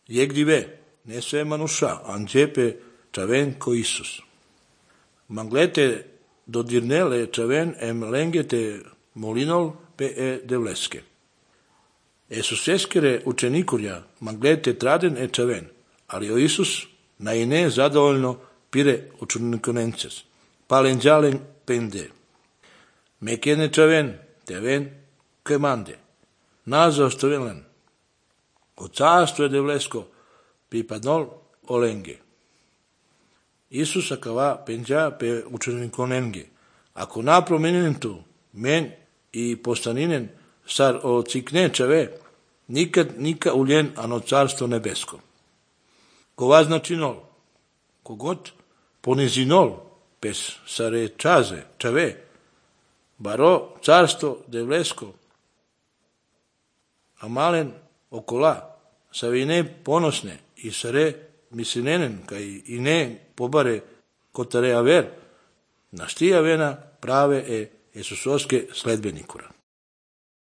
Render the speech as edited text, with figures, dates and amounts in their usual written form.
Jegdive, ne sve manusha, angepe chaven co Isus. Manglete dodirnele chaven lengete molinol pe devleske. Esuseskere učenikurja manglete traden chaven, ali o Isus naine zadovoljno pire učenikonences. Palenđalen pende. Mekene chaven, teven kemande. Nazo stovelen. O carstvo je devlesko pripadnol olenge. Isus akava penđa pe učenikonenge. Ako napromenjen tu, men i postaninen sar o cikne čave, nikad nika uljen ano carstvo nebesko. Kova značinol, kogot ponizinol, pes sare čaze, čave, baro carstvo devlesko, a malen okola, savine ponosne i sare misinenen, kaj i ne pobare kotare aver, naštija vena prave Jesusoske sledbenikura.